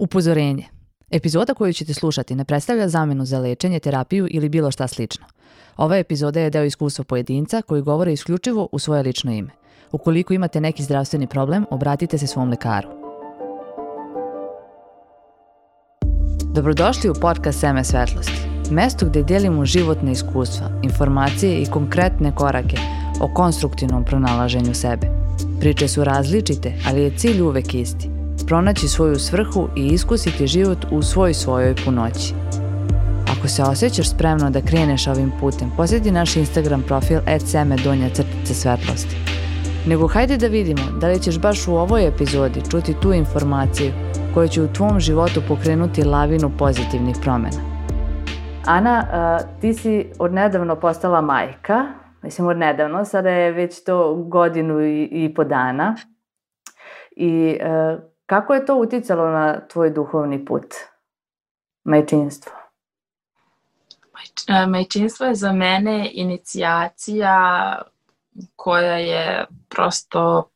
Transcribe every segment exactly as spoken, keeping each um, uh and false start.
Upozorenje. Epizoda koju ćete slušati ne predstavlja zamenu za lečenje, terapiju ili bilo šta slično. Ova epizoda je deo iskustva pojedinca koji govore isključivo u svoje lično ime. Ukoliko imate neki zdravstveni problem, obratite se svom lekaru. Dobrodošli u podcast Seme svetlosti. Mesto gdje dijelimo životne iskustva, informacije i konkretne korake o konstruktivnom pronalaženju sebe. Priče su različite, ali je cilj uvek isti. Pronaći svoju svrhu i iskusiti život u svoj svojoj punoći. Ako se osjećaš spremno da kreneš ovim putem, posjeti naš Instagram profil et seme donja crtica svetlosti. Nego hajde da vidimo da li ćeš baš u ovoj epizodi čuti tu informaciju koja će u tvom životu pokrenuti lavinu pozitivnih promjena. Ana, uh, ti si odnedavno postala majka, mislim odnedavno, sada je već to godinu i, i po dana. I uh, kako je to uticalo na tvoj duhovni put, majčinstvo? Majčinstvo je za mene inicijacija koja je prosto,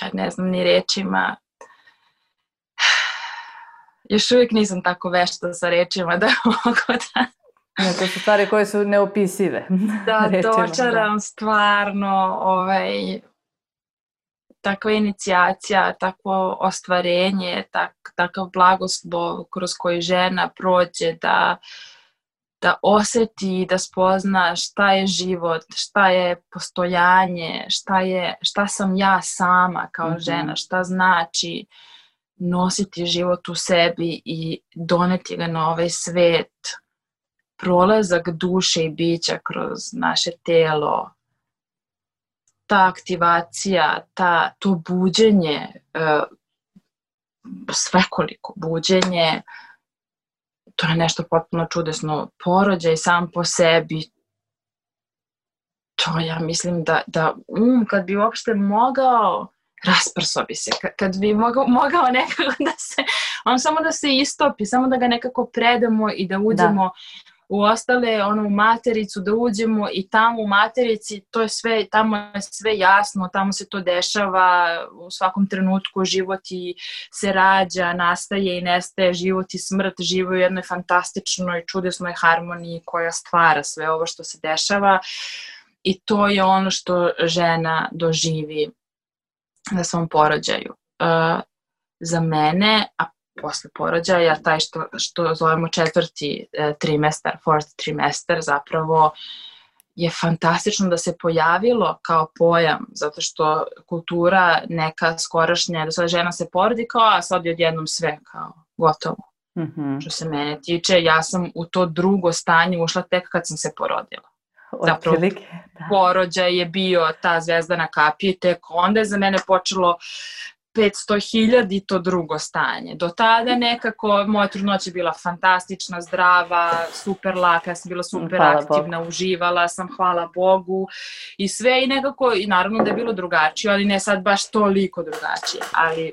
ja ne znam ni rečima, još uvijek nisam tako vešta sa rečima da mogu da... Ne, to su stvari koje su neopisive. Da dočaram stvarno ovaj... takva inicijacija, takvo ostvarenje, tak, takav blagoslov kroz koji žena prođe da, da osjeti, da spozna šta je život, šta je postojanje, šta, je, šta sam ja sama kao mm-hmm. žena, šta znači nositi život u sebi i doneti ga na ovaj svet, prolazak duše i bića kroz naše telo, ta aktivacija, ta, to buđenje, uh, svekoliko buđenje, to je nešto potpuno čudesno. Porođaj sam po sebi, to ja mislim da, da um, kad bi uopšte mogao, rasprso bi se, kad, kad bi mogao, mogao nekako da se, on samo da se istopi, samo da ga nekako predamo i da uđemo da. U ostale, ono, u matericu, da uđemo i tamo u materici, to je sve, tamo je sve jasno, tamo se to dešava u svakom trenutku, život i se rađa, nastaje i nestaje, život i smrt žive u jednoj fantastičnoj, čudesnoj harmoniji koja stvara sve ovo što se dešava i to je ono što žena doživi na svom porođaju. Uh, za mene, a posle porođaja, taj što, što zovemo četvrti e, trimestar, fourth trimestar, zapravo je fantastično da se pojavilo kao pojam, zato što kultura neka skorašnja, da sada žena se porodi kao, a sad je odjednom sve kao gotovo. Mm-hmm. Što se mene tiče, ja sam u to drugo stanje ušla tek kad sam se porodila. Zapravo, porođaj je bio ta zvezdana kapija i tek onda je za mene počelo petsto hiljada i to drugo stanje. Do tada nekako moja trudnoća je bila fantastična, zdrava, super laka, ja sam bila super hvala aktivna, Bogu. Uživala sam, hvala Bogu i sve i nekako, i naravno da je bilo drugačije, ali ne sad baš toliko drugačije, ali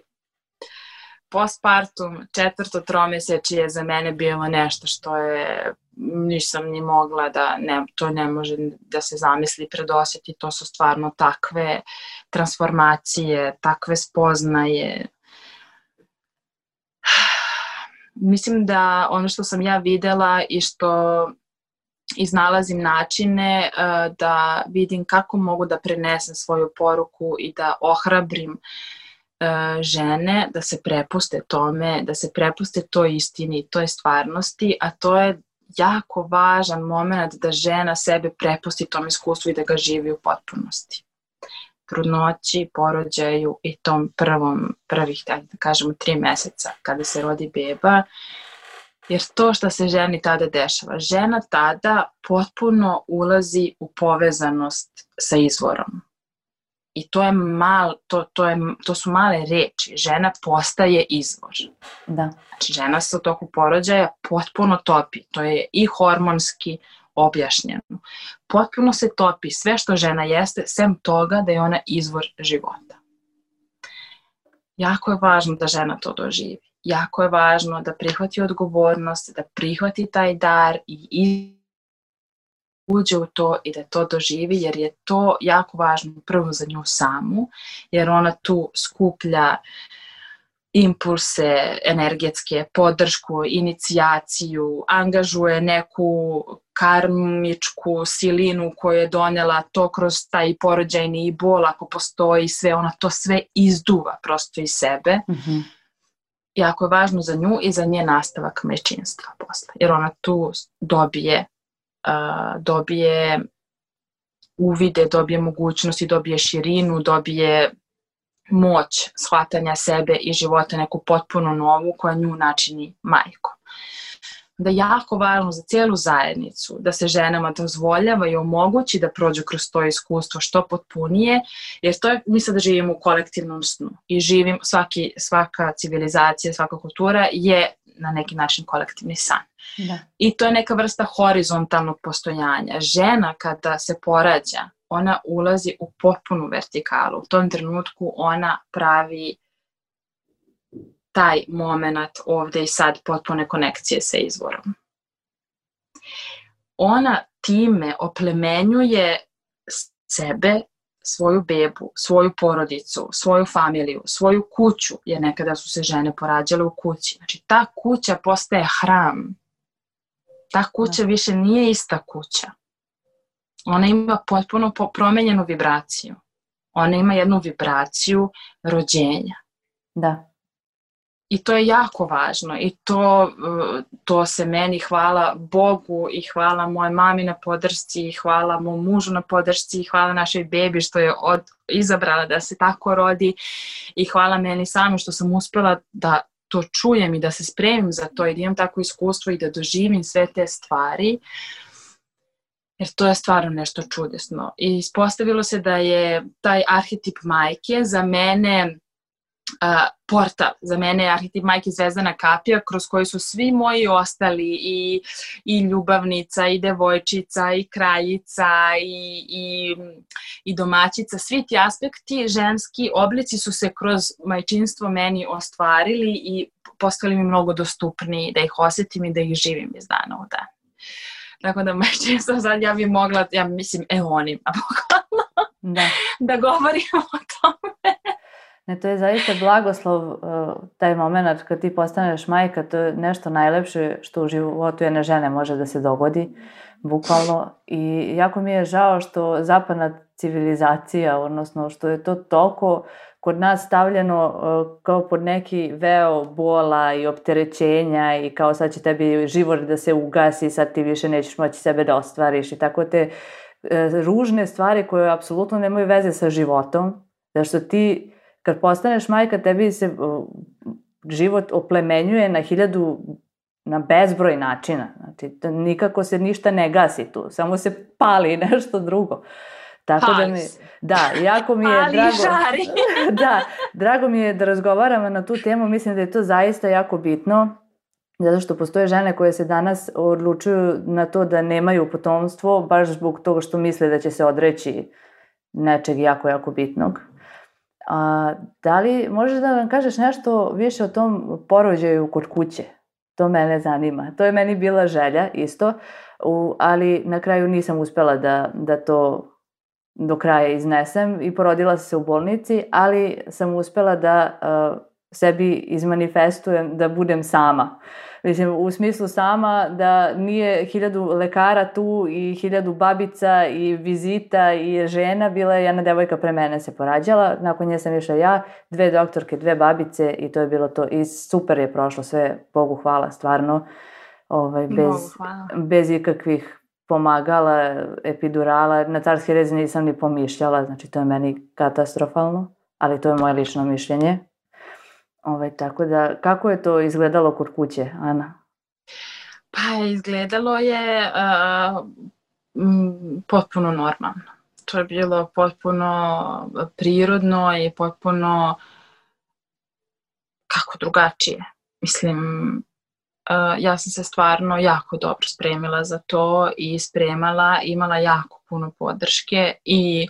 postpartum, četvrto tromesečje je za mene bilo nešto što je, nisam ni mogla da, ne, to ne može da se zamisli, predosjeti, to su stvarno takve transformacije, takve spoznaje. Mislim da ono što sam ja videla i što iznalazim načine uh, da vidim kako mogu da prenesem svoju poruku i da ohrabrim uh, žene da se prepuste tome, da se prepuste toj istini, toj stvarnosti, a to je jako važan moment da žena sebe prepusti tom iskustvu i da ga živi u potpunosti. Trudnoći, porođaju i tom prvom, prvih, da kažemo, tri meseca kada se rodi beba, jer to što se ženi tada dešava, žena tada potpuno ulazi u povezanost sa izvorom. I to je mal, to, to, je, to su male reči. Žena postaje izvor. Da. Znači, žena se u toku porođaja potpuno topi. To je i hormonski objašnjeno. Potpuno se topi sve što žena jeste, sem toga da je ona izvor života. Jako je važno da žena to doživi. Jako je važno da prihvati odgovornost, da prihvati taj dar i uđe u to i da to doživi, jer je to jako važno prvo za nju samu, jer ona tu skuplja impulse energetske, podršku, inicijaciju, angažuje neku karmičku silinu koju je donela to kroz taj porođajni i bol, ako postoji sve, ona to sve izduva prosto iz sebe. Mm-hmm. Jako je važno za nju i za nje nastavak majčinstva posle, jer ona tu dobije, uh, dobije uvide, dobije mogućnosti, dobije širinu, dobije moć shvatanja sebe i života, neku potpuno novu koja nju načini majkom. Da je jako važno za cijelu zajednicu da se ženama dozvoljava i omogući da prođu kroz to iskustvo što potpunije, jer to je, mi sada živimo u kolektivnom snu i živim, svaki, svaka civilizacija, svaka kultura je na neki način kolektivni san. Da. I to je neka vrsta horizontalnog postojanja. Žena kada se porađa, ona ulazi u potpunu vertikalu. U tom trenutku ona pravi taj moment ovdje i sad potpune konekcije sa izvorom. Ona time oplemenjuje sebe, svoju bebu, svoju porodicu, svoju familiju, svoju kuću, jer nekada su se žene porađale u kući. Znači ta kuća postaje hram. Ta kuća više nije ista kuća. Ona ima potpuno promenjenu vibraciju. Ona ima jednu vibraciju rođenja. Da. I to je jako važno i to, to se meni, hvala Bogu i hvala moje mami na podršci i hvala mom mužu na podršci i hvala našoj bebi što je od, izabrala da se tako rodi i hvala meni sami što sam uspjela da to čujem i da se spremim za to i da imam tako iskustvo i da doživim sve te stvari. Jer to je stvarno nešto čudesno. I ispostavilo se da je taj arhetip majke za mene uh, portal. Za mene je arhetip majke Zvezdana kapija kroz koji su svi moji ostali i, i ljubavnica, i devojčica, i kraljica, i, i, i domaćica. Svi ti aspekti, ženski oblici su se kroz majčinstvo meni ostvarili i postali mi mnogo dostupniji da ih osjetim i da ih živim iz dana u dan. Tako da majčinstvo sad ja bi mogla, ja mislim, eonima bukvalno da. da govorimo o tome. Ne, to je zaista blagoslov, taj moment kad ti postaneš majka, to je nešto najlepše što u životu jedne žene može da se dogodi, bukvalno. I jako mi je žao što zapadna civilizacija, odnosno što je to toliko kod nas stavljeno kao pod neki veo bola i opterećenja i kao sad će tebi život da se ugasi, sad ti više nećeš moći sebe da ostvariš i tako te ružne stvari koje apsolutno nemaju veze sa životom, zato što ti kad postaneš majka, tebi se život oplemenjuje na hiljadu, na bezbroj načina. Znači, nikako se ništa ne gasi tu, samo se pali nešto drugo. Tako da mi, da, jako mi je drago, da, drago mi je da razgovaramo na tu temu, mislim da je to zaista jako bitno, zato što postoje žene koje se danas odlučuju na to da nemaju potomstvo, baš zbog toga što misle da će se odreći nečeg jako, jako bitnog. A, da li možeš da nam kažeš nešto više o tom porođaju kod kuće? To mene zanima. To je meni bila želja isto, u, ali na kraju nisam uspjela da, da to do kraja iznesem i porodila sam se u bolnici, ali sam uspjela da uh, sebi izmanifestujem da budem sama. Mislim, u smislu sama da nije hiljadu lekara tu i hiljadu babica i vizita i žena, bila je jedna devojka pre mene se porađala, nakon nje sam išla ja, dve doktorke, dve babice i to je bilo to i super je prošlo sve, Bogu hvala, stvarno, ovaj, bez, bez ikakvih pomagala, epidurala, na carski rez nisam ni pomišljala, znači to je meni katastrofalno, ali to je moje lično mišljenje. Ove, tako da, kako je to izgledalo kod kuće, Ana? Pa izgledalo je uh, m, potpuno normalno. To je bilo potpuno prirodno i potpuno kako drugačije. Mislim, uh, ja sam se stvarno jako dobro spremila za to i spremala, imala jako puno podrške i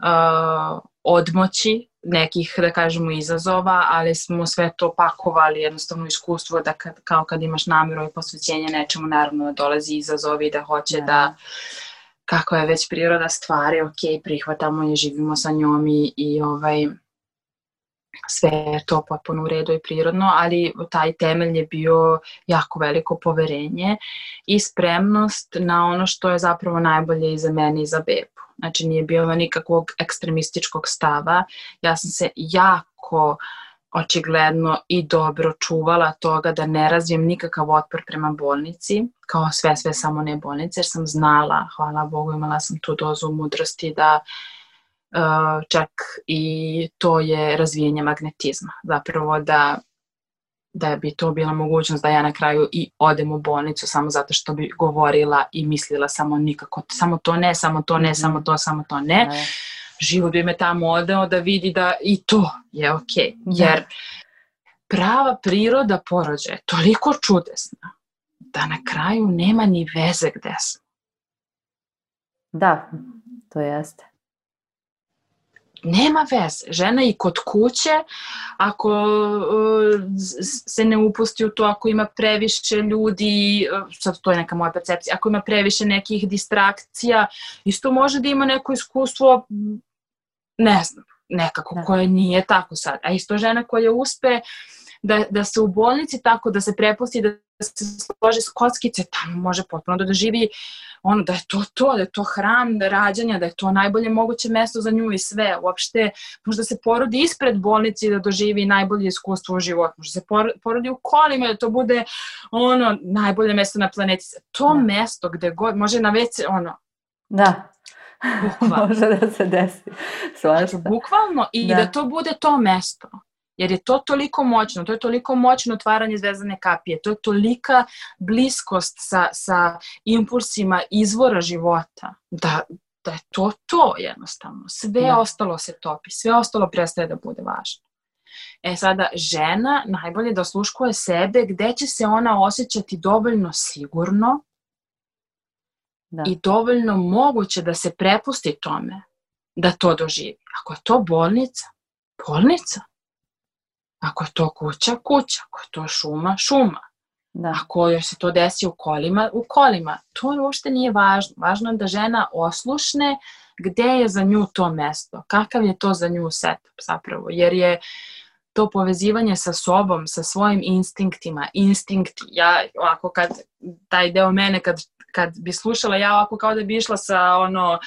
uh, odmoći nekih, da kažemo, izazova, ali smo sve to pakovali, jednostavno iskustvo da kad, kao kad imaš namjeru i posvećenje nečemu, naravno da dolazi izazovi i da hoće ja. da, kako je već priroda stvari, ok, prihvatamo je, živimo sa njom i, i ovaj, sve je to potpuno u redu i prirodno, ali taj temelj je bio jako veliko poverenje i spremnost na ono što je zapravo najbolje i za mene i za bebu. Znači nije bilo nikakvog ekstremističkog stava, ja sam se jako očigledno i dobro čuvala toga da ne razvijem nikakav otpor prema bolnici, kao sve, sve samo ne bolnice, jer sam znala, hvala Bogu, imala sam tu dozu mudrosti da uh, čak i to je razvijenje magnetizma. Zapravo da, da bi to bila mogućnost da ja na kraju i odem u bolnicu samo zato što bi govorila i mislila samo nikako, samo to ne, samo to ne, mm-hmm. samo to, samo to ne. ne. Život bi me tamo odeo da vidi da i to je okej. Jer prava priroda porođaja je toliko čudesna da na kraju nema ni veze gde smo. Da, to jeste. Nema veze. Žena i kod kuće, ako uh, se ne upusti u to, ako ima previše ljudi, uh, sad to je neka moja percepcija, ako ima previše nekih distrakcija, isto može da ima neko iskustvo, ne znam, nekako da. Koje nije tako sad. A isto žena koja uspe da, da se u bolnici tako, da se prepusti, da se složi s kockice, tamo može potpuno da doživi ono, da je to to, da je to hram rađanja, da je to najbolje moguće mesto za nju i sve. Uopšte, možda se porodi ispred bolnice da doživi najbolje iskustvo u životu. Možda se porodi u kolima da to bude ono, najbolje mesto na planeti. To da. Mesto gde god, može na ve ce, ono. Da. Bukvalno. Može da se desi. Znači, bukvalno i da. Da to bude to mesto. Jer je to toliko moćno, to je toliko moćno otvaranje zvezdane kapije, to je tolika bliskost sa, sa impulsima izvora života, da, da je to to jednostavno. Sve da. Ostalo se topi, sve ostalo prestaje da bude važno. E sada, žena najbolje da osluškuje sebe gde će se ona osjećati dovoljno sigurno da. I dovoljno moguće da se prepusti tome da to doživi. Ako je to bolnica, bolnica. Ako je to kuća, kuća. Ako je to šuma, šuma. Da. Ako joj se to desi u kolima, u kolima. To uopšte nije važno. Važno je da žena oslušne gde je za nju to mesto. Kakav je to za nju setup zapravo. Jer je to povezivanje sa sobom, sa svojim instinktima. Instinkti. Ja ovako kad, taj deo mene kad, kad bi slušala, ja ovako kao da bi išla sa ono...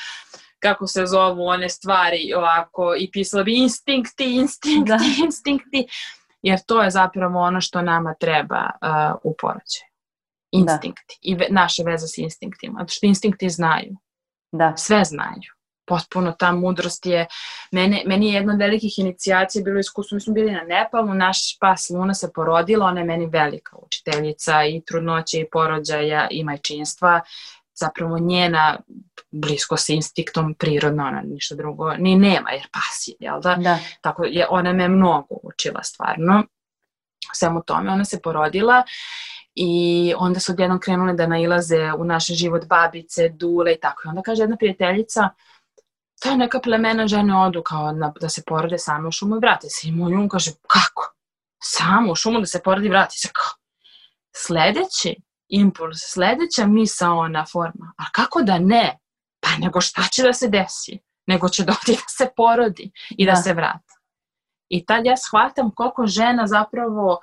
kako se zovu one stvari ovako i pisala bi instinkti, instinkti, da. Instinkti, jer to je zapravo ono što nama treba uh, u porođaju. Instinkti. Da. I ve, naše veze s instinktima. Zato što instinkti znaju. Da. Sve znaju. Potpuno ta mudrost je, mene, meni je jedna od velikih inicijacija bilo iskustvo, mi smo bili na Nepalu, naš pas Luna se porodila, ona je meni velika učiteljica i trudnoće i porođaja i majčinstva. Zapravo njena blisko sa instinktom prirodno, ona ništa drugo ni nema, jer pas je, jel da? Da. Tako je, ona me mnogo učila stvarno. Svemu tome, ona se porodila i onda su odjednom krenule da nailaze u naš život babice, dule i tako. I onda kaže jedna prijateljica, to je neka plemena žene odu kao na, da se porode same u šumu i vrate se. I moj um kaže, kako? Samo u šumu da se porodi i vrati se. Kako? Sledeći impuls, sledeća misaona forma, a kako da ne? Pa nego šta će da se desi? Nego će doći da se porodi i da, da se vrati. I tad ja shvatam koliko žena zapravo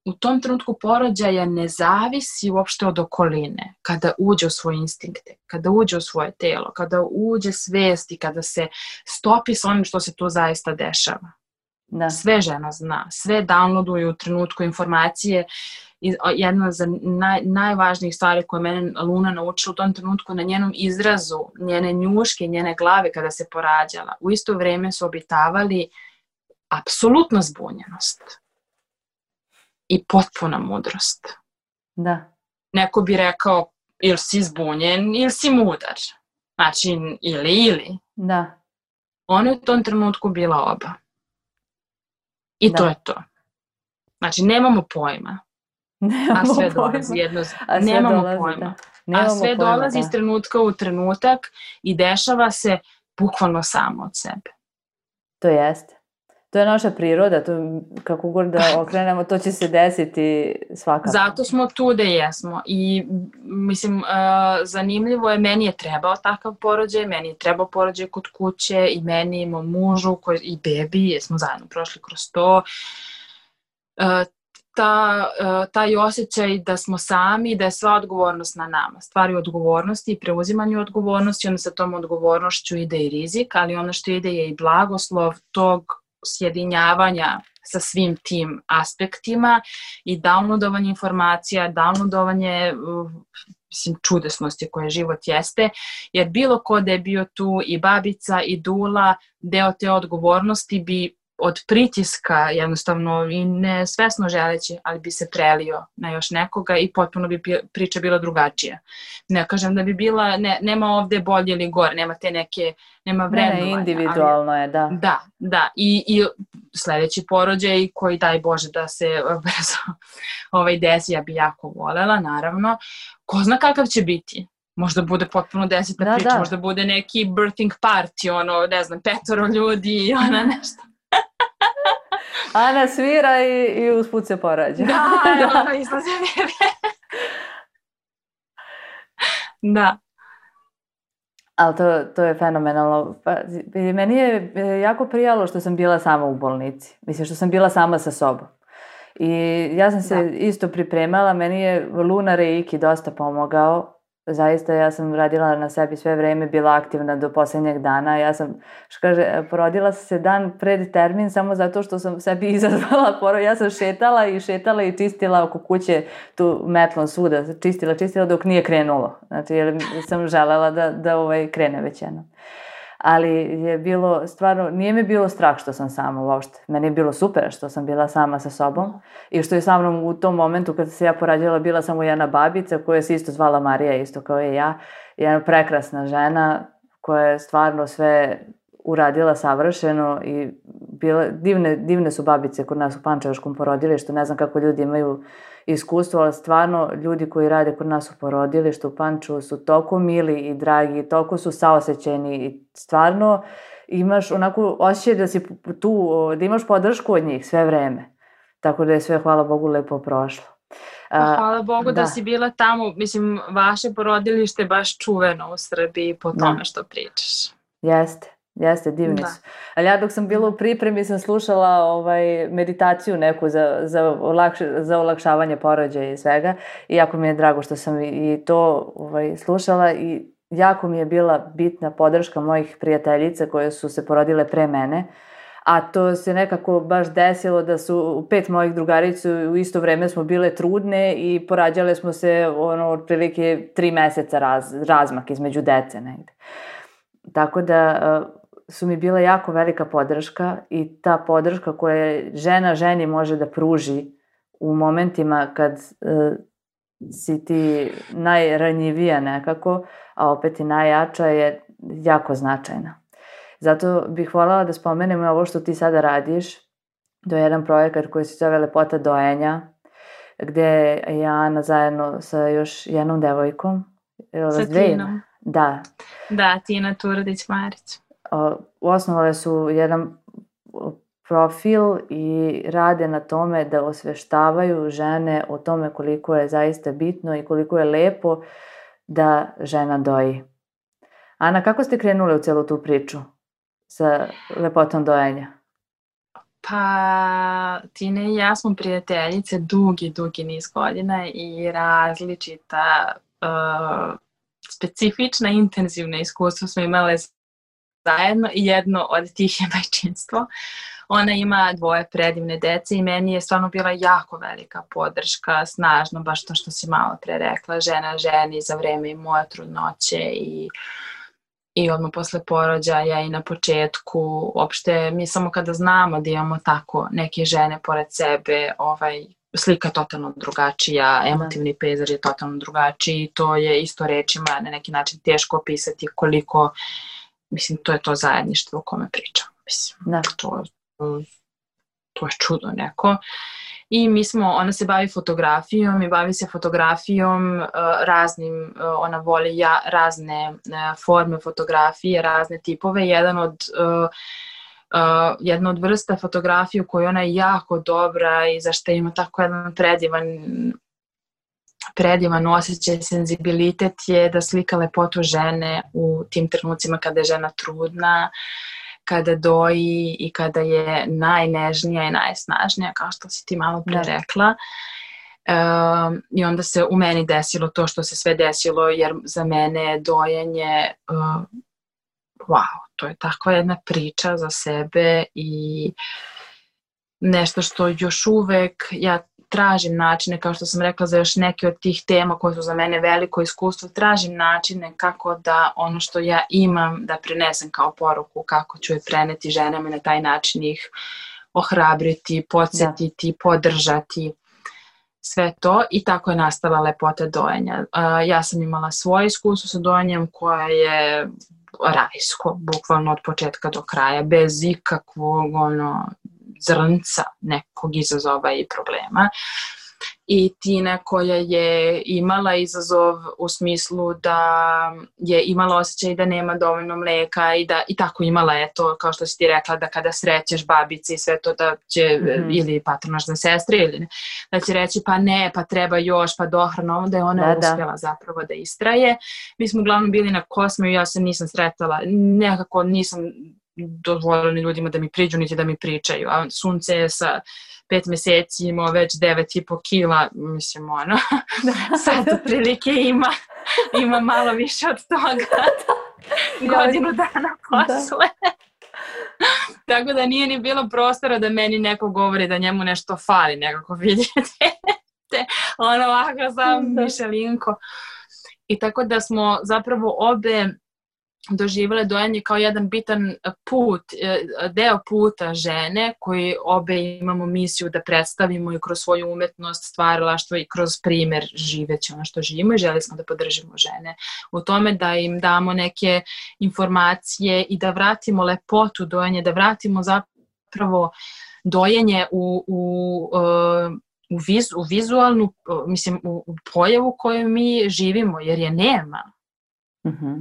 u tom trenutku porođaja ne zavisi uopšte od okoline, kada uđe u svoje instinkte, kada uđe u svoje telo, kada uđe svest i kada se stopi s onim što se tu zaista dešava. Da. Sve žena zna, sve downloaduju u trenutku informacije. Jedna za naj, najvažnijih stvari koje mene Luna naučila u tom trenutku na njenom izrazu, njene njuške, njene glave kada se porađala. U isto vrijeme su obitavali apsolutna zbunjenost i potpuna mudrost. Da. Neko bi rekao ili si zbunjen ili si mudar. Znači ili ili. Da. Ona je u tom trenutku bila oba. I da. To je to. Znači nemamo pojma. Nemamo a sve pojma. Dolazi jedno... A sve nemamo dolazi, pojma. Da. Nemamo a sve pojma, dolazi da. iz trenutka u trenutak i dešava se bukvalno samo od sebe. To jeste. to je naša priroda, to kako god da okrenemo, to će se desiti svakako. Zato smo tu da jesmo i mislim, uh, zanimljivo je, meni je trebao takav porođaj, meni je trebao porođaj kod kuće i meni i mom mužu koji, i bebi, jer smo zajedno prošli kroz to. Uh, ta, uh, taj osjećaj da smo sami, da je sva odgovornost na nama. Stvari odgovornosti i preuzimanju odgovornosti, onda sa tom odgovornošću ide i rizik, ali ono što ide je i blagoslov tog sjedinjavanja sa svim tim aspektima i downloadovanje informacija, downloadovanje mislim, čudesnosti koje život jeste, jer bilo ko da je bio tu i babica i dula, deo te odgovornosti bi od pritiska jednostavno i ne svesno želeći, ali bi se prelio na još nekoga i potpuno bi priča bila drugačija. Ne kažem da bi bila, ne, nema ovde bolje ili gore, nema te neke, nema vrednovanja. Ne, individualno ali, je, da. Da, da. I, i sledeći porođaj koji daj Bože da se brzo ovaj desi, ja bi jako volela, naravno. Ko zna kakav će biti? Možda bude potpuno desetna da, priča, da. Možda bude neki birthing party, ono, ne znam, petoro ljudi i ona nešto. Ana svira i, i usput se porađa. Da, da, isto se vidi. Da. Ali to, to je fenomenalno. Pa, meni je jako prijalo što sam bila sama u bolnici. Mislim, što sam bila sama sa sobom. I ja sam se da. isto pripremala. Meni je Luna Reiki dosta pomogao. Zaista ja sam radila na sebi sve vreme, bila aktivna do posljednjeg dana. Ja sam, što kaže, porodila sam se dan pred termin samo zato što sam sebi izazvala porod. Ja sam šetala i šetala i čistila oko kuće tu metlom svuda. Čistila, čistila dok nije krenulo. Znači, jer sam želela da, da ovaj krene već jedno. Ali je bilo stvarno, nije mi bilo strah što sam sama uopšte. Meni je bilo super što sam bila sama sa sobom i što je sa mnom u tom momentu kad se ja porađala bila samo jedna babica koja se isto zvala Marija, isto kao i ja. Jedna prekrasna žena koja je stvarno sve uradila savršeno i bila, divne, divne su babice kod nas u Pančevačkom porodilištu. Ne znam kako ljudi imaju iskustvo, ali stvarno ljudi koji rade kod nas u porodilištu u Pančevu su toliko mili i dragi, toliko su saosećeni i stvarno imaš onako osjećaj da si tu, da imaš podršku od njih sve vreme. Tako da je sve, hvala Bogu, lepo prošlo. A, hvala Bogu da. da si bila tamo. Mislim, vaše porodilište je baš čuveno u Srbiji po tome da. što pričaš. Jeste. Jeste, divni da. su. Ali ja dok sam bila u pripremi sam slušala ovaj, meditaciju neku za, za, olakš, za olakšavanje porođaja i svega i jako mi je drago što sam i, i to ovaj, slušala i jako mi je bila bitna podrška mojih prijateljica koje su se porodile pre mene, a to se nekako baš desilo da su pet mojih drugarica u isto vreme smo bile trudne i porađale smo se ono, otprilike tri meseca raz, razmak između dece negde. Tako da su mi bila jako velika podrška i ta podrška koja žena ženi može da pruži u momentima kad uh, si ti najranjivija nekako, a opet i najjača je jako značajna. Zato bih voljela da spomenem ovo što ti sada radiš. To je jedan projekat koji se zove Lepota dojenja, gde je Ana zajedno sa još jednom devojkom. Sa Tinom. Da. Da, Tina Turdić-Marić. Osnovale su jedan profil i rade na tome da osveštavaju žene o tome koliko je zaista bitno i koliko je lepo da žena doji. Ana, kako ste krenule u celu tu priču sa lepotom dojenja? Pa, Tina i ja smo prijateljice dugi, dugi niz godina i različita uh, specifična, intenzivna iskustva smo imale zajedno i jedno od tih je majčinstvo. Ona ima dvoje predivne dece i meni je stvarno bila jako velika podrška, snažno, baš to što si malo pre rekla, žena ženi za vreme i moje trudnoće i, i odmah posle porođaja i na početku. Uopšte mi samo kada znamo da imamo tako neke žene pored sebe, ovaj, slika je totalno drugačija, emotivni pejzaž je totalno drugačiji, to je isto rečima na neki način teško opisati koliko, mislim, to je to zajedništvo o kome pričam. Mislim, da. to, to je čudo neko. I mi smo, ona se bavi fotografijom i bavi se fotografijom uh, raznim, uh, ona voli ja, razne uh, forme fotografije, razne tipove. Jedan od uh, uh, jedna od vrsta fotografije u kojoj ona je jako dobra i za što ima tako jedan predivan predivan osjećaj, senzibilitet je da slika lepotu žene u tim trenucima kada je žena trudna, kada doji i kada je najnežnija i najsnažnija, kao što si ti malo pre rekla. Um, I onda se u meni desilo to što se sve desilo, jer za mene je dojenje uh, wow, to je takva jedna priča za sebe i nešto što još uvek ja tražim načine, kao što sam rekla za još neke od tih tema koje su za mene veliko iskustvo, tražim načine kako da ono što ja imam da prenesem kao poruku, kako ću je preneti ženama i na taj način ih ohrabriti, podsjetiti, da. podržati, sve to i tako je nastala lepota dojenja. Uh, ja sam imala svoje iskustvo sa dojenjem koje je rajsko, bukvalno od početka do kraja, bez ikakvog ono, zrnca nekog izazova i problema. I Tina koja je imala izazov u smislu da je imala osjećaj da nema dovoljno mleka i da i tako imala je to, kao što si ti rekla, da kada srećeš babice i sve to da će, mm-hmm. ili patronažne sestre, ili da će reći pa ne, pa treba još, pa dohrana, da je ona da, uspjela da. zapravo da istraje. Mi smo uglavnom bili na Kosmeju, ja se nisam sretala, nekako nisam dozvolila ni ljudima da mi priđu, niti da mi pričaju, a sunce je sa pet mjeseci imao već devet i po kila, mislim ono, sad otprilike ima, ima malo više od toga, godinu dana posle. Da. Tako da nije ni bilo prostora da meni neko govori da njemu nešto fali, nekako vidite, te, ono ovako sam Mišelinko. I tako da smo zapravo obe doživjele dojenje kao jedan bitan put, deo puta žene koji obe imamo misiju da predstavimo i kroz svoju umetnost, stvaralaštvo i kroz primjer živeći ono što živimo i želi smo da podržimo žene u tome, da im damo neke informacije i da vratimo lepotu dojenja, da vratimo zapravo dojenje u, u, u, viz, u vizualnu, mislim u, u pojavu koju mi živimo, jer je nema. Mhm.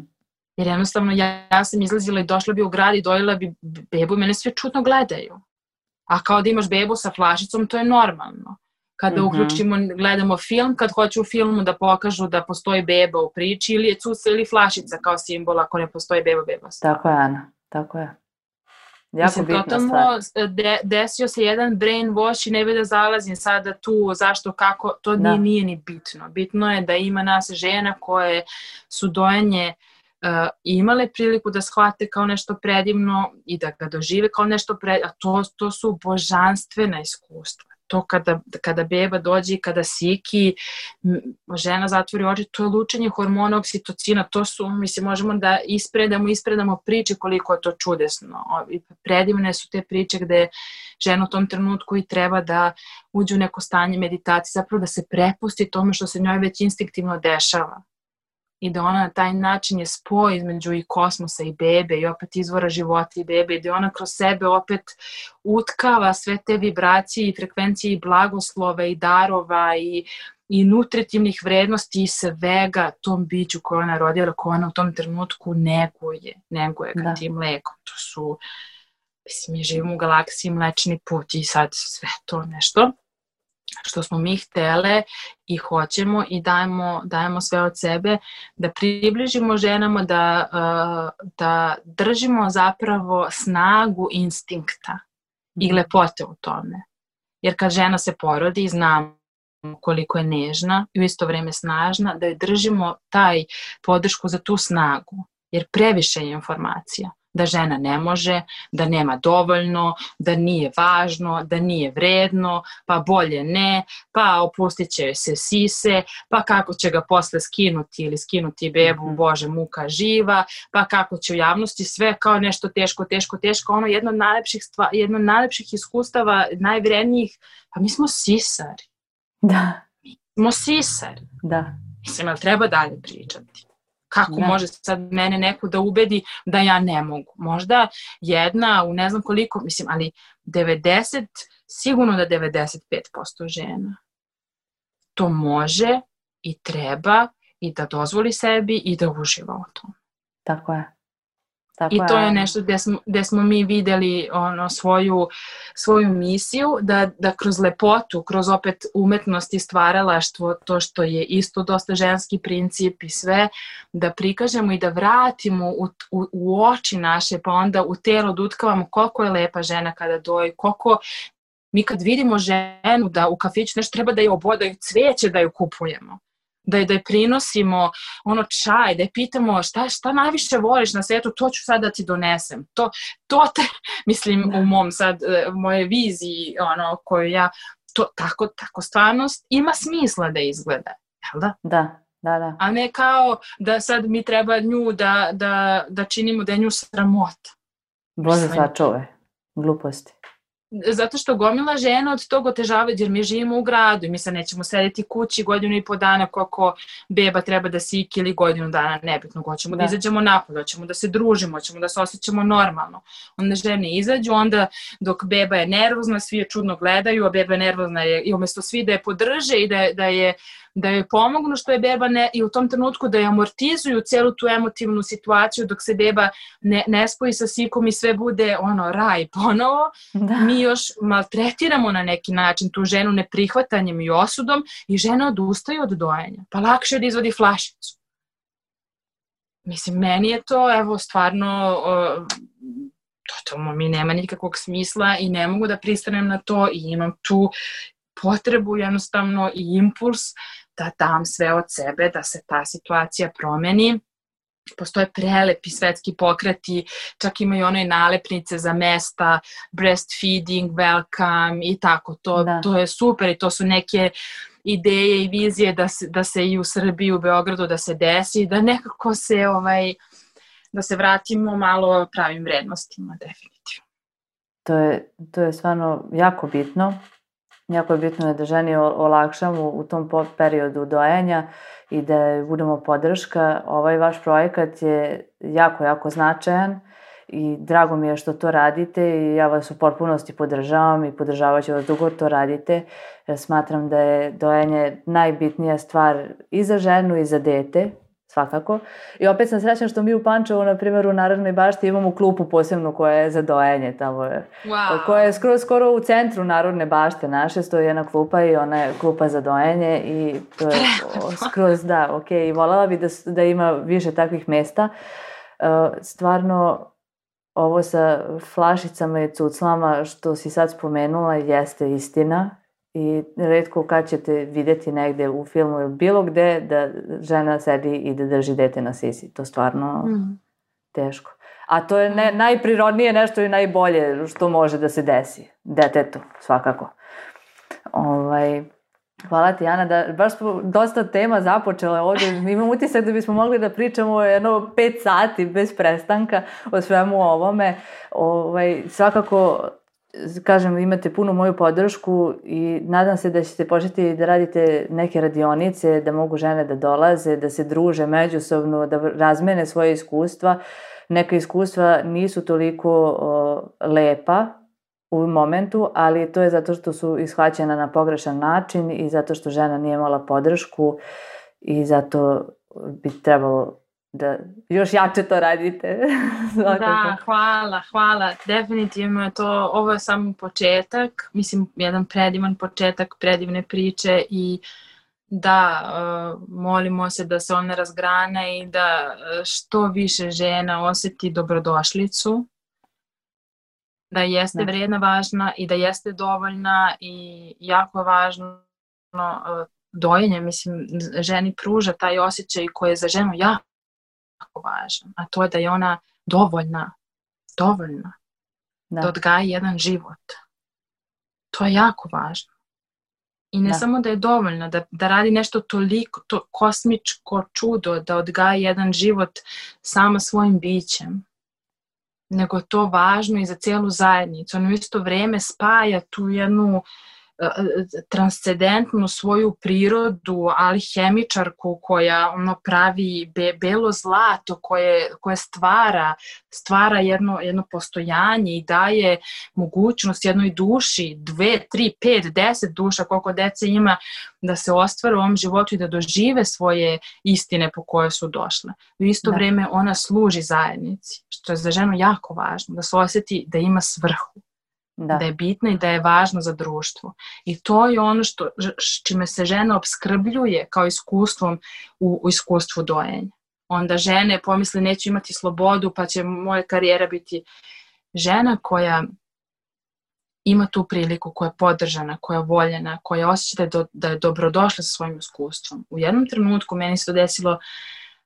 Jer jednostavno ja, ja sam izlazila i došla bi u grad i dojela bi bebu i mene sve čudno gledaju. A kao da imaš bebu sa flašicom, to je normalno. Kada mm-hmm. uključimo, gledamo film, kad hoću u filmu da pokažu da postoji beba u priči ili je cuca ili flašica kao simbol, ako ne postoji beba, beba stvar. Tako je, Ana, tako je. Jako Mislim, totalno de, desio se jedan brainwash i ne bi da zalazim sada tu, zašto, kako, to nije, nije ni bitno. Bitno je da ima nas žena koje su dojenje Uh, imale priliku da shvate kao nešto predivno i da ga dožive kao nešto predivno, a to, to su božanstvena iskustva. To kada, kada beba dođe i kada siki, žena zatvori oči, to je lučenje hormona oksitocina, to su, mislim, možemo da ispredamo, ispredamo priče koliko je to čudesno. Predivne su te priče gde žena u tom trenutku i treba da uđe u neko stanje meditacije, zapravo da se prepusti tome što se njoj već instinktivno dešava. I da ona na taj način je spoj između i kosmosa i bebe i opet izvora života i bebe i da ona kroz sebe opet utkava sve te vibracije i frekvencije i blagoslova i darova i, i nutritivnih vrednosti i svega tom biću koje ona rodila, koje ona u tom trenutku neguje, neguje ga tim mlekom. To su, mislim, mi živimo u galaksiji Mlečni put i sad sve to nešto što smo mi htele i hoćemo i dajemo, dajemo sve od sebe, da približimo ženama, da, uh, da držimo zapravo snagu instinkta i lepote u tome. Jer kad žena se porodi, znamo koliko je nežna i u isto vrijeme snažna, da joj držimo taj podršku za tu snagu, jer previše je informacija. Da žena ne može, da nema dovoljno, da nije važno, da nije vredno, pa bolje ne, pa opustit će joj se sise, pa kako će ga posle skinuti ili skinuti bebu, Bože, muka živa, pa kako će u javnosti sve kao nešto teško, teško, teško, ono jedno od najlepših, stva, jedno od najlepših iskustava, najvrednijih, pa mi smo sisari. Da. Mi smo sisari. Da. Mislim, ali treba dalje pričati. Kako da. Može sad mene neko da ubedi da ja ne mogu? Možda jedna u ne znam koliko, mislim, ali devedeset, sigurno da devedeset pet posto žena to može i treba i da dozvoli sebi i da uživa u tom. Tako je. Tako I to je je. nešto gdje smo, gdje smo mi vidjeli ono, svoju, svoju misiju, da, da kroz lepotu, kroz opet umetnost i stvaralaštvo, to što je isto dosta ženski princip i sve, da prikažemo i da vratimo u, u, u oči naše, pa onda u telo da utkavamo koliko je lepa žena kada doji, koliko mi kad vidimo ženu da u kafiću nešto treba da je obodaju cvijeće da ju kupujemo. Da je, da je prinosimo ono čaj, da je pitamo šta, šta najviše voliš na svijetu, to ću sad da ti donesem. To, to te, mislim, u mom sad, moje viziji, ono, koju ja, to tako, tako stvarnost ima smisla da izgleda, jel da? Da, da, da. A ne kao da sad mi treba nju da, da, da činimo da je nju sramota. Bože sačuvaj, gluposti. Zato što gomila žena od tog otežavaju, jer mi živimo u gradu i mi sad nećemo sedeti kući godinu i po dana koliko beba treba da siki ili godinu dana, nebitno, hoćemo da, da izađemo napolje, hoćemo da se družimo, hoćemo da se osjećamo normalno. Onda žene izađu, onda dok beba je nervozna, svi je čudno gledaju, a beba je nervozna je, i umjesto svi da je podrže i da, da je da joj pomognu što je beba ne, i u tom trenutku da je amortizuju celu tu emotivnu situaciju dok se beba ne, ne spoji sa sikom i sve bude ono raj ponovo, da. Mi još maltretiramo na neki način tu ženu neprihvatanjem i osudom i žena odustaje od dojenja. Pa lakše da izvodi flašicu. Mislim, meni je to, evo, stvarno, uh, totalno mi nema nikakvog smisla i ne mogu da pristanem na to i imam tu potrebu jednostavno i impuls da dam sve od sebe, da se ta situacija promeni. Postoje prelepi svetski pokreti, čak imaju one nalepnice za mesta, breastfeeding, welcome i tako. To, to je super i to su neke ideje i vizije da se, da se i u Srbiji, u Beogradu da se desi, da nekako se, ovaj, da se vratimo malo pravim vrednostima, definitivno. To je, to je stvarno jako bitno. Jako je bitno da ženi olakšamo u tom periodu dojenja i da budemo podrška. Ovaj vaš projekat je jako, jako značajan i drago mi je što to radite i ja vas u potpunosti podržavam i podržavat ću vas dok god to radite. Smatram da je dojenje najbitnija stvar i za ženu i za dete, svakako. I opet sam srećna što mi u Pančevu, na primjer u Narodnoj bašti, imamo klupu posebnu koja je za dojenje tamo je. Wow. Koja je skoro, skoro u centru Narodne bašte naše, stoji jedna klupa i ona je klupa za dojenje i to je skroz, da, ok. I voljela bi da, da ima više takvih mesta. Stvarno, ovo sa flašicama i cuclama što si sad spomenula jeste istina. I retko kad ćete vidjeti negde u filmu ili bilo gde da žena sedi i da drži dete na sisi. To stvarno mm. teško. A to je ne, najprirodnije nešto i najbolje što može da se desi. Detetu, svakako. Ovaj, hvala ti, Ana, da baš smo dosta tema započele ovdje. Imam utisak da bismo mogli da pričamo jedno pet sati bez prestanka o svemu ovome. Ovaj, svakako... Kažem, imate punu moju podršku i nadam se da ćete početi da radite neke radionice, da mogu žene da dolaze, da se druže međusobno, da razmene svoje iskustva. Neka iskustva nisu toliko o, lepa u momentu, ali to je zato što su ishvaćena na pogrešan način i zato što žena nije imala podršku i zato bi trebalo da još jače to radite. Da, hvala, hvala. Definitivno je to, ovo je samo početak, mislim, jedan predivan početak, predivne priče i da, uh, molimo se da se ona razgrana i da što više žena osjeti dobrodošlicu, da jeste vrijedna, važna i da jeste dovoljna i jako je važno uh, dojenje, mislim, ženi pruža taj osjećaj koji je za ženu jako važan, a to je da je ona dovoljna, dovoljna da, da odgaji jedan život. To je jako važno. I ne da. Samo da je dovoljna, da, da radi nešto toliko, to kosmičko čudo, da odgaji jedan život sama svojim bićem, nego je to važno i za cijelu zajednicu. Ono isto vrijeme spaja tu jednu transcendentnu svoju prirodu, alhemičarku koja ono pravi be, belo zlato koje, koje stvara, stvara jedno, jedno postojanje i daje mogućnost jednoj duši, dve, tri, pet, deset duša, koliko dece ima, da se ostvare u ovom životu i da dožive svoje istine po koje su došle. U isto da. Vrijeme ona služi zajednici, što je za ženu jako važno, da se osjeti da ima svrhu. Da. da je bitna i da je važna za društvo. I to je ono što, čime se žena opskrbljuje kao iskustvom u, u iskustvu dojenja. Onda žene pomisle neću imati slobodu pa će moja karijera biti. Žena koja ima tu priliku, koja je podržana, koja je voljena, koja osjeća da je, do, da je dobrodošla sa svojim iskustvom. U jednom trenutku meni se to desilo,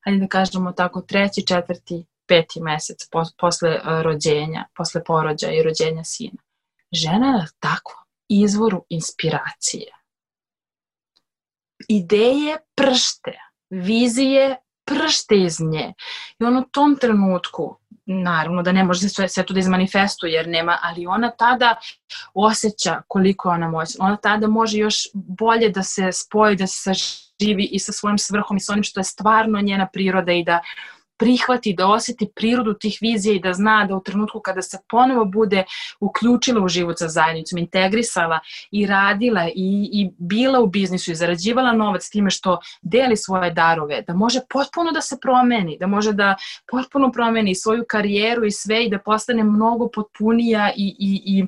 hajde da kažemo tako, treći, četvrti, peti mesec po, posle rođenja, posle porođaja i rođenja sina. Žena je na takvom izvoru inspiracije. Ideje pršte, vizije pršte iz nje. I on u tom trenutku, naravno da ne može sve, sve to da izmanifestuje jer nema, ali ona tada osjeća koliko je ona moćna. Ona tada može još bolje da se spoji, da se saživi i sa svojim svrhom i sa onim što je stvarno njena priroda i da prihvati, da osjeti prirodu tih vizija i da zna da u trenutku kada se ponovo bude uključila u život sa zajednicom, integrisala i radila i, i bila u biznisu i zarađivala novac time što deli svoje darove, da može potpuno da se promeni, da može da potpuno promeni svoju karijeru i sve i da postane mnogo potpunija i, i, i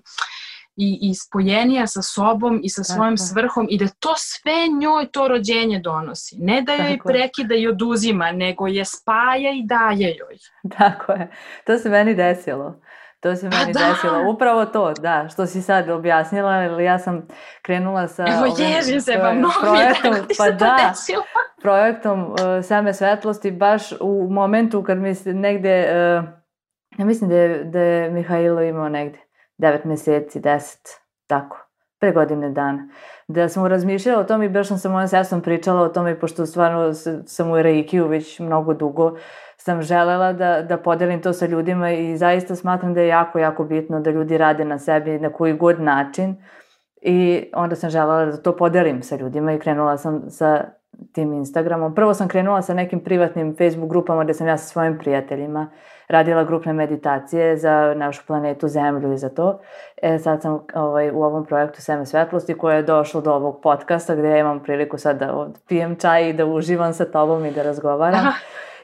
I, i spojenija sa sobom i sa svojom tako. Svrhom i da to sve njoj to rođenje donosi. Ne da joj tako. Prekida i oduzima, nego je spaja i daje joj. Tako je. To se meni desilo. To se meni da. desilo. Upravo to, da, što si sad objasnila, jer ja sam krenula sa Evo, ježim se, pa mnogo projektom, mi je pa se to da, desilo. projektom uh, Seme svetlosti, baš u momentu kad mi se negde, uh, ja mislim da je, da je Mihajlo imao negde devet mjeseci, deset, tako, pre godine dana. Da sam razmišljala o tome i baš sam sa mojom sestrom pričala o tome, pošto stvarno sam u reikiju već mnogo dugo, sam želela da, da podelim to sa ljudima i zaista smatram da je jako, jako bitno da ljudi rade na sebi na koji god način i onda sam želela da to podelim sa ljudima i krenula sam sa tim Instagramom. Prvo sam krenula sa nekim privatnim Facebook grupama gdje sam ja sa svojim prijateljima radila grupne meditacije za našu planetu Zemlju i za to. E, sad sam ovaj, u ovom projektu Seme svetlosti koje je došlo do ovog podcasta gdje ja imam priliku sad da pijem čaj i da uživam sa tobom i da razgovaram. Aha.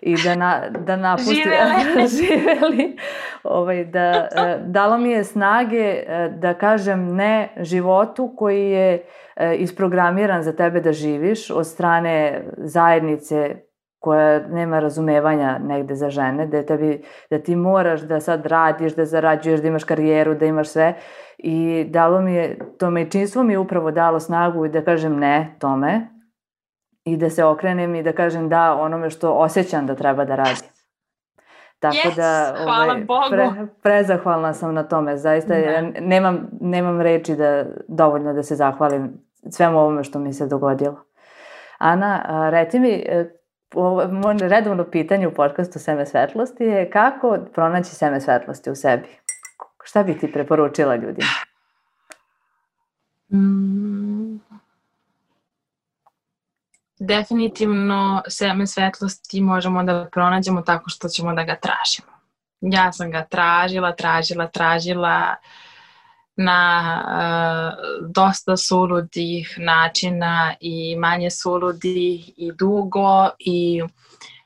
I da, na, da napustim... Živeli! Živeli. Ovaj, da, dalo mi je snage da kažem ne životu koji je isprogramiran za tebe da živiš od strane zajednice koja nema razumevanja negde za žene, da, tebi, da ti moraš da sad radiš, da zarađuješ, da imaš karijeru, da imaš sve. I dalo mi je, to majčinstvo mi je upravo dalo snagu i da kažem ne tome i da se okrenem i da kažem da onome što osjećam da treba da radim. Tako yes, da hvala ovaj, Bogu. Pre, prezahvalna sam na tome. Zaista ja nemam, nemam reči da, dovoljno da se zahvalim svemu ovome što mi se dogodilo. Ana, reci mi, moje redovno pitanje u podcastu Seme svetlosti je kako pronaći seme svetlosti u sebi? Šta bi ti preporučila ljudima? Mm. Definitivno seme svetlosti možemo da pronađemo tako što ćemo da ga tražimo. Ja sam ga tražila, tražila, tražila na uh, dosta suludih načina i manje suludih i dugo i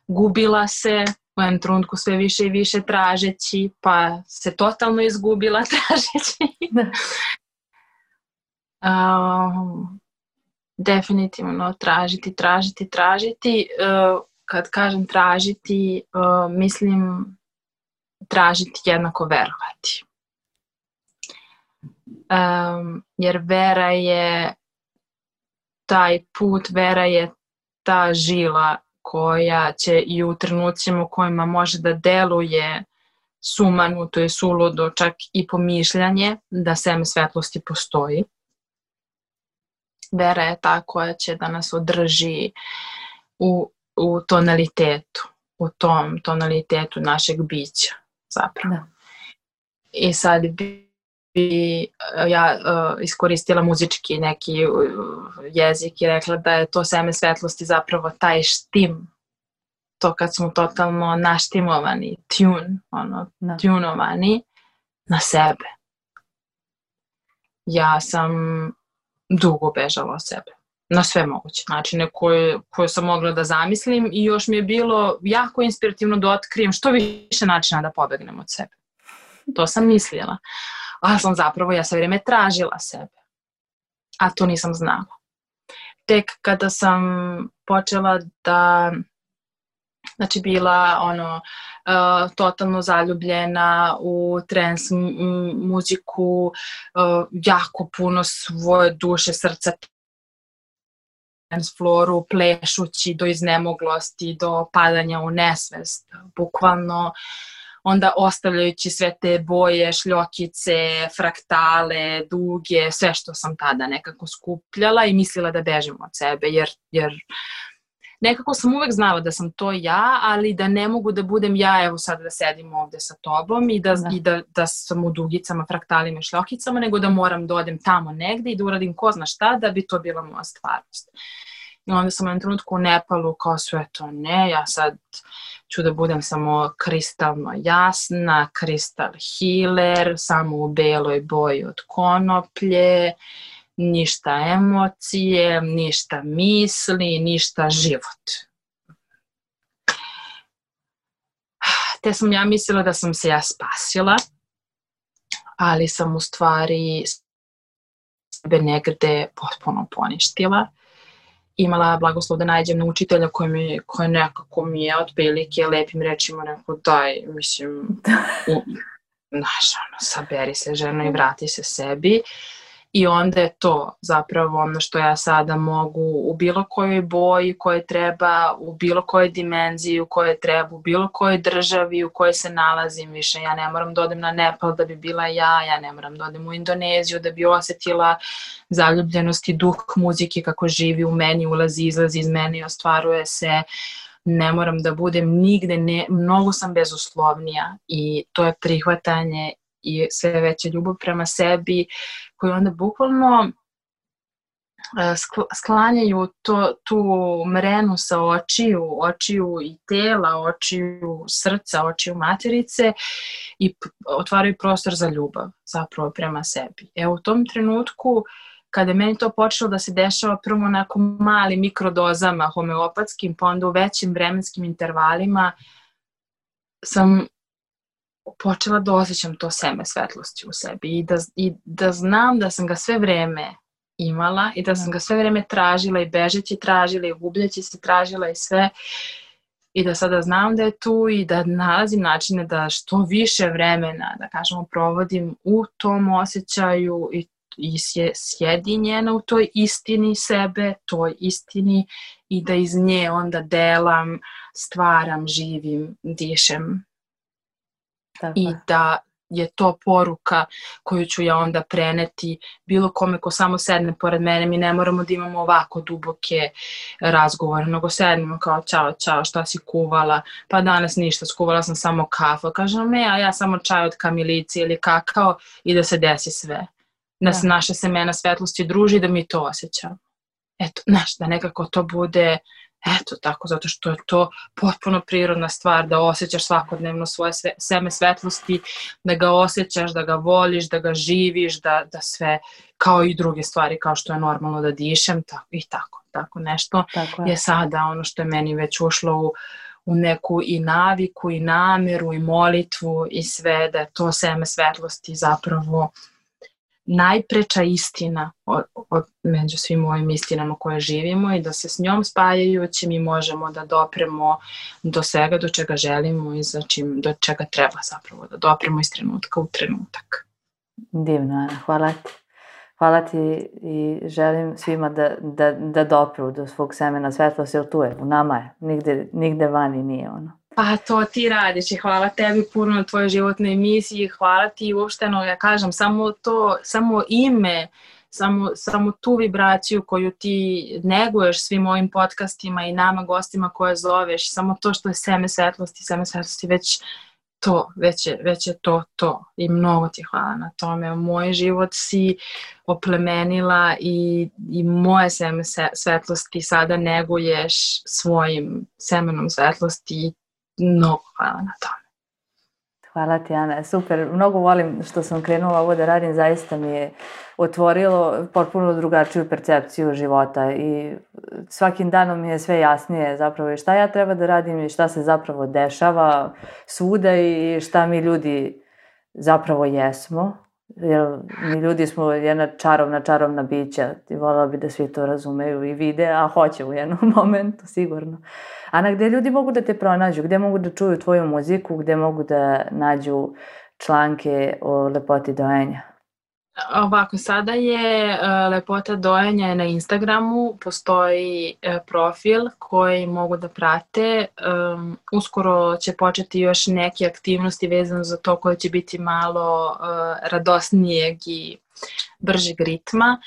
gubila se u jednom trenutku sve više i više tražeći, pa se totalno izgubila tražeći. um, definitivno tražiti, tražiti, tražiti. Uh, kad kažem tražiti, uh, mislim tražiti jednako verovati. Um, jer vera je taj put, vera je ta žila koja će i u trenucima u kojima može da deluje sumanuto i suludo, čak i pomišljanje da seme svetlosti postoji. Vera je ta koja će da nas održi u, u tonalitetu, u tom tonalitetu našeg bića zapravo. Da. I sad bi ja uh, iskoristila muzički neki uh, jezik i rekla da je to seme svetlosti zapravo taj štim, to kad smo totalno naštimovani, tune, ono, da. tunovani na sebe. Ja sam dugo bežala od sebe, na sve moguće načine koje, koje sam mogla da zamislim i još mi je bilo jako inspirativno da otkrijem što više načina da pobegnem od sebe. To sam mislila. Ali sam zapravo, ja sve vrijeme tražila sebe. A to nisam znala. Tek kada sam počela da, znači bila ono, uh, totalno zaljubljena u trans m- muziku, uh, jako puno svoje duše, srca, dance floru, plešući do iznemoglosti, do padanja u nesvest, bukvalno, onda ostavljajući sve te boje, šljokice, fraktale, duge, sve što sam tada nekako skupljala i mislila da bežim od sebe, jer, jer nekako sam uvek znala da sam to ja, ali da ne mogu da budem ja, evo sad da sedim ovde sa tobom i da, da. I da, da sam u dugicama, fraktalima i šljokicama, nego da moram da odem tamo negde i da uradim ko zna šta da bi to bila moja stvarnost. I onda sam u jednom trenutku u Nepalu kao sve to ne, ja sad ću da budem samo kristalno jasna, kristal healer, samo u beloj boji od konoplje, ništa emocije, ništa misli, ništa život. Te sam ja mislila da sam se ja spasila, ali sam u stvari sebe negde potpuno poništila. Imala blagoslov da nađem na učitelja koji, mi, koji nekako mi je otprilike lepim rečima rekao daj, mislim, znaš, ono, saberi se ženo i vrati se sebi. I onda je to zapravo ono što ja sada mogu u bilo kojoj boji koje treba, u bilo kojoj dimenziji u kojoj treba, u bilo kojoj državi u kojoj se nalazim više. Ja ne moram da odem na Nepal da bi bila ja, ja ne moram da odem u Indoneziju da bi osjetila zaljubljenost i duh muzike kako živi u meni, ulazi, izlazi iz mene i ostvaruje se. Ne moram da budem nigde, ne, mnogo sam bezuslovnija i to je prihvatanje i sve veća ljubav prema sebi koju onda bukvalno sklanjaju to, tu mrenu sa očiju, očiju i tela, očiju srca, očiju materice i otvaraju prostor za ljubav zapravo prema sebi. Evo u tom trenutku kada je meni to počelo da se dešava prvo onako malim mikrodozama homeopatskim, pa onda u većim vremenskim intervalima sam počela da osjećam to seme svetlosti u sebi i da, i da znam da sam ga sve vreme imala i da sam ga sve vreme tražila i bežeći tražila i gubljeći se tražila i sve i da sada znam da je tu i da nalazim načine da što više vremena, da kažemo, provodim u tom osjećaju i, i sjedinjena u toj istini sebe, toj istini i da iz nje onda delam, stvaram, živim, dišem. Tako. I da je to poruka koju ću ja onda preneti bilo kome ko samo sedne pored mene. Mi ne moramo da imamo ovako duboke razgovore, nego sednemo kao čao, čao, šta si kuvala? Pa danas ništa, skuvala sam samo kafu. Kažem, ne, a ja samo čaj od kamilice ili kakao i da se desi sve. Da se naša semena svetlosti druži i da mi to osjećamo. Eto, znaš, da nekako to bude... Eto tako, zato što je to potpuno prirodna stvar da osjećaš svakodnevno svoje sve, seme svetlosti, da ga osjećaš, da ga voliš, da ga živiš, da, da sve, kao i druge stvari, kao što je normalno da dišem, tako, i tako, tako nešto tako je. je sada ono što je meni već ušlo u, u neku i naviku, i nameru, i molitvu, i sve, da je to seme svetlosti zapravo najpreča istina od, od, među svim ovim istinama koje živimo i da se s njom spajajući mi možemo da dopremo do svega do čega želimo i za čim, do čega treba zapravo da dopremo iz trenutka u trenutak. Divno, Ana, hvala ti. Hvala ti i želim svima da, da, da dopru do svog semena svetlosti, jer tu je, u nama je, nigde, nigde vani nije ono. Pa to ti radiš i hvala tebi puno na tvojoj životnoj emisiji, hvala ti uopšteno, ja kažem, samo to, samo ime, samo, samo tu vibraciju koju ti neguješ svim ovim podcastima i nama gostima koje zoveš, samo to što je seme svetlosti, seme svetlosti već to, već je, već je to to i mnogo ti hvala na tome. Moj život si oplemenila i, i moje seme svetlosti sada neguješ svojim semenom svetlosti i mnogo hvala na tome. Hvala ti, Ana. Super. Mnogo volim što sam krenula ovo da radim. Zaista mi je otvorilo potpuno drugačiju percepciju života i svakim danom mi je sve jasnije zapravo i šta ja treba da radim i šta se zapravo dešava svuda i šta mi ljudi zapravo jesmo. Jer mi ljudi smo jedna čarovna, čarovna bića i voljela bi da svi to razumeju i vide, a hoće u jednom momentu, sigurno. Ana, gde ljudi mogu da te pronađu? Gde mogu da čuju tvoju muziku? Gde mogu da nađu članke o lepoti dojenja? Ovako, sada je uh, lepota dojenja na Instagramu, postoji uh, profil koji mogu da prate. Um, uskoro će početi još neke aktivnosti vezano za to koje će biti malo uh, radosnijeg i bržeg ritma.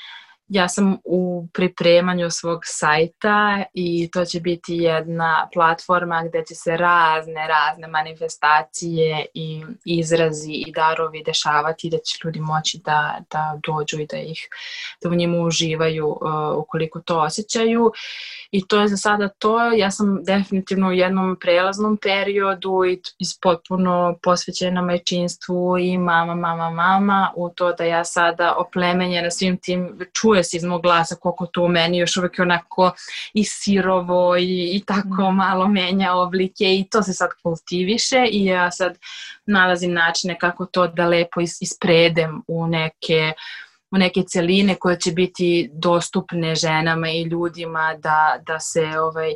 Ja sam u pripremanju svog sajta i to će biti jedna platforma gde će se razne, razne manifestacije i izrazi i darovi dešavati, da će ljudi moći da, da dođu i da ih da u njima uživaju uh, ukoliko to osjećaju. I to je za sada to. Ja sam definitivno u jednom prelaznom periodu i potpuno posvećena majčinstvu i mama, mama, mama u to da ja sada oplemenjena svim tim, čuje se iz mog glasa koliko to u meni još uvijek onako i sirovo i, i tako malo menja oblike i to se sad kultiviše i ja sad nalazim načine kako to da lepo is, ispredem u neke u neke celine koje će biti dostupne ženama i ljudima da, da se ovaj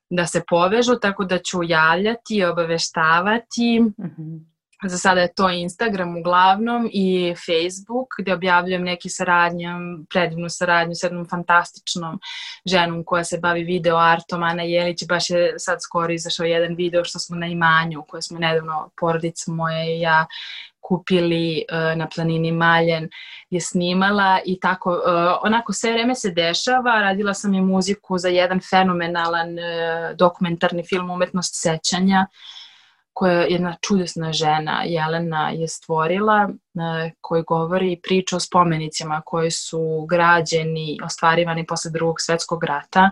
da se povežu, tako da ću javljati i obaveštavati. Mm-hmm. Za sada je to Instagram uglavnom i Facebook gdje objavljujem neke saradnje, predivnu saradnju s jednom fantastičnom ženom koja se bavi video artom, Ana Jelić. Baš je sad skoro izašao jedan video što smo na imanju koje smo nedavno porodica moja i ja kupili uh, na planini Maljen je snimala i tako, uh, onako sve vreme se dešava. Radila sam i muziku za jedan fenomenalan uh, dokumentarni film Umetnost sećanja koja jedna čudesna žena Jelena je stvorila, uh, koji govori priču o spomenicima koji su građeni, ostvarivani posle Drugog svjetskog rata.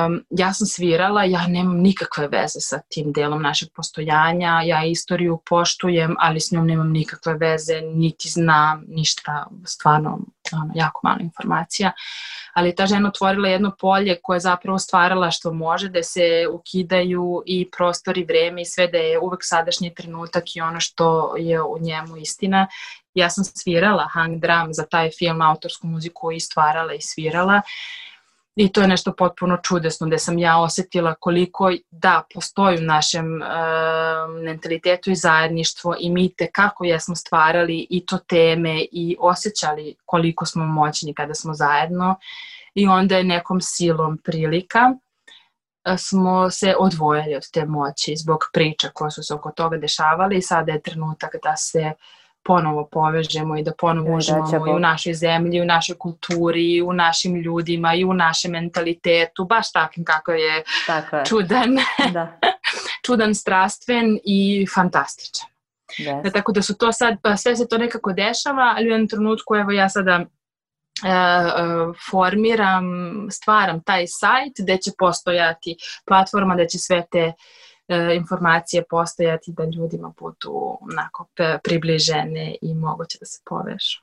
Um, ja sam svirala, ja nemam nikakve veze sa tim delom našeg postojanja, ja istoriju poštujem, ali s njom nemam nikakve veze, niti znam ništa, stvarno ono, jako malo informacija. Ali ta žena otvorila jedno polje koje je zapravo stvarala što može, da se ukidaju i prostor i vreme i sve, da je uvek sadašnji trenutak i ono što je u njemu istina. Ja sam svirala hang drum za taj film, autorsku muziku i stvarala i svirala. I to je nešto potpuno čudesno, gde sam ja osjetila koliko da postoji u našem e, mentalitetu i zajedništvo i mi tekako jesmo stvarali i to teme i osjećali koliko smo moćni kada smo zajedno. I onda je nekom silom prilika smo se odvojili od te moći zbog priča koje su se oko toga dešavale i sada je trenutak da se ponovo povežemo i da ponovo uživamo i u našoj zemlji, i u našoj kulturi, i u našim ljudima, i u našem mentalitetu, baš takim kako je, je. čudan, da. čudan, strastven i fantastičan. Yes. Da, tako da su to sad, pa sve se to nekako dešava, ali u jednom trenutku, evo ja sada e, formiram, stvaram taj sajt gde će postojati platforma, gde će sve te informacije postojati da ljudima budu onako približene i moguće da se povežu.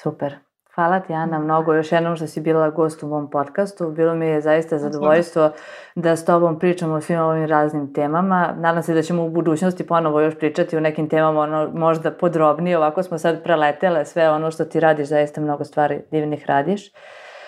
Super. Hvala ti, Ana, mnogo još jednom što si bila gost u mom podcastu. Bilo mi je zaista zadovoljstvo da s tobom pričamo o svim ovim raznim temama. Nadam se da ćemo u budućnosti ponovo još pričati o nekim temama ono, možda podrobnije. Ovako smo sad preletele sve ono što ti radiš, zaista mnogo stvari divnih radiš.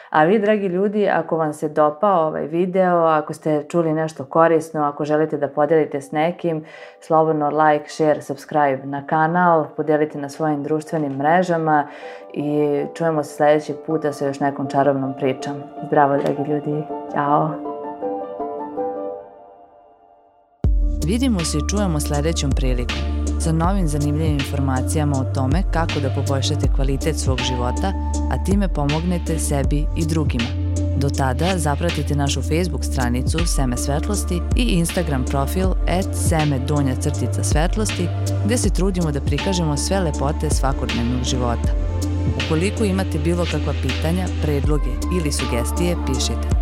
A vi, dragi ljudi, ako vam se dopao ovaj video, ako ste čuli nešto korisno, ako želite da podelite s nekim, slobodno like, share, subscribe na kanal, podelite na svojim društvenim mrežama i čujemo se sljedećeg puta sa još nekom čarobnom pričom. Zdravo, dragi ljudi. Ćao! Vidimo se i čujemo sljedećom prilikom sa novim zanimljivim informacijama o tome kako da poboljšate kvalitet svog života, a time pomognete sebi i drugima. Do tada zapratite našu Facebook stranicu Seme svetlosti i Instagram profil et seme donja crtica svetlosti, gde se trudimo da prikažemo sve lepote svakodnevnog života. Ukoliko imate bilo kakva pitanja, predloge ili sugestije, pišite.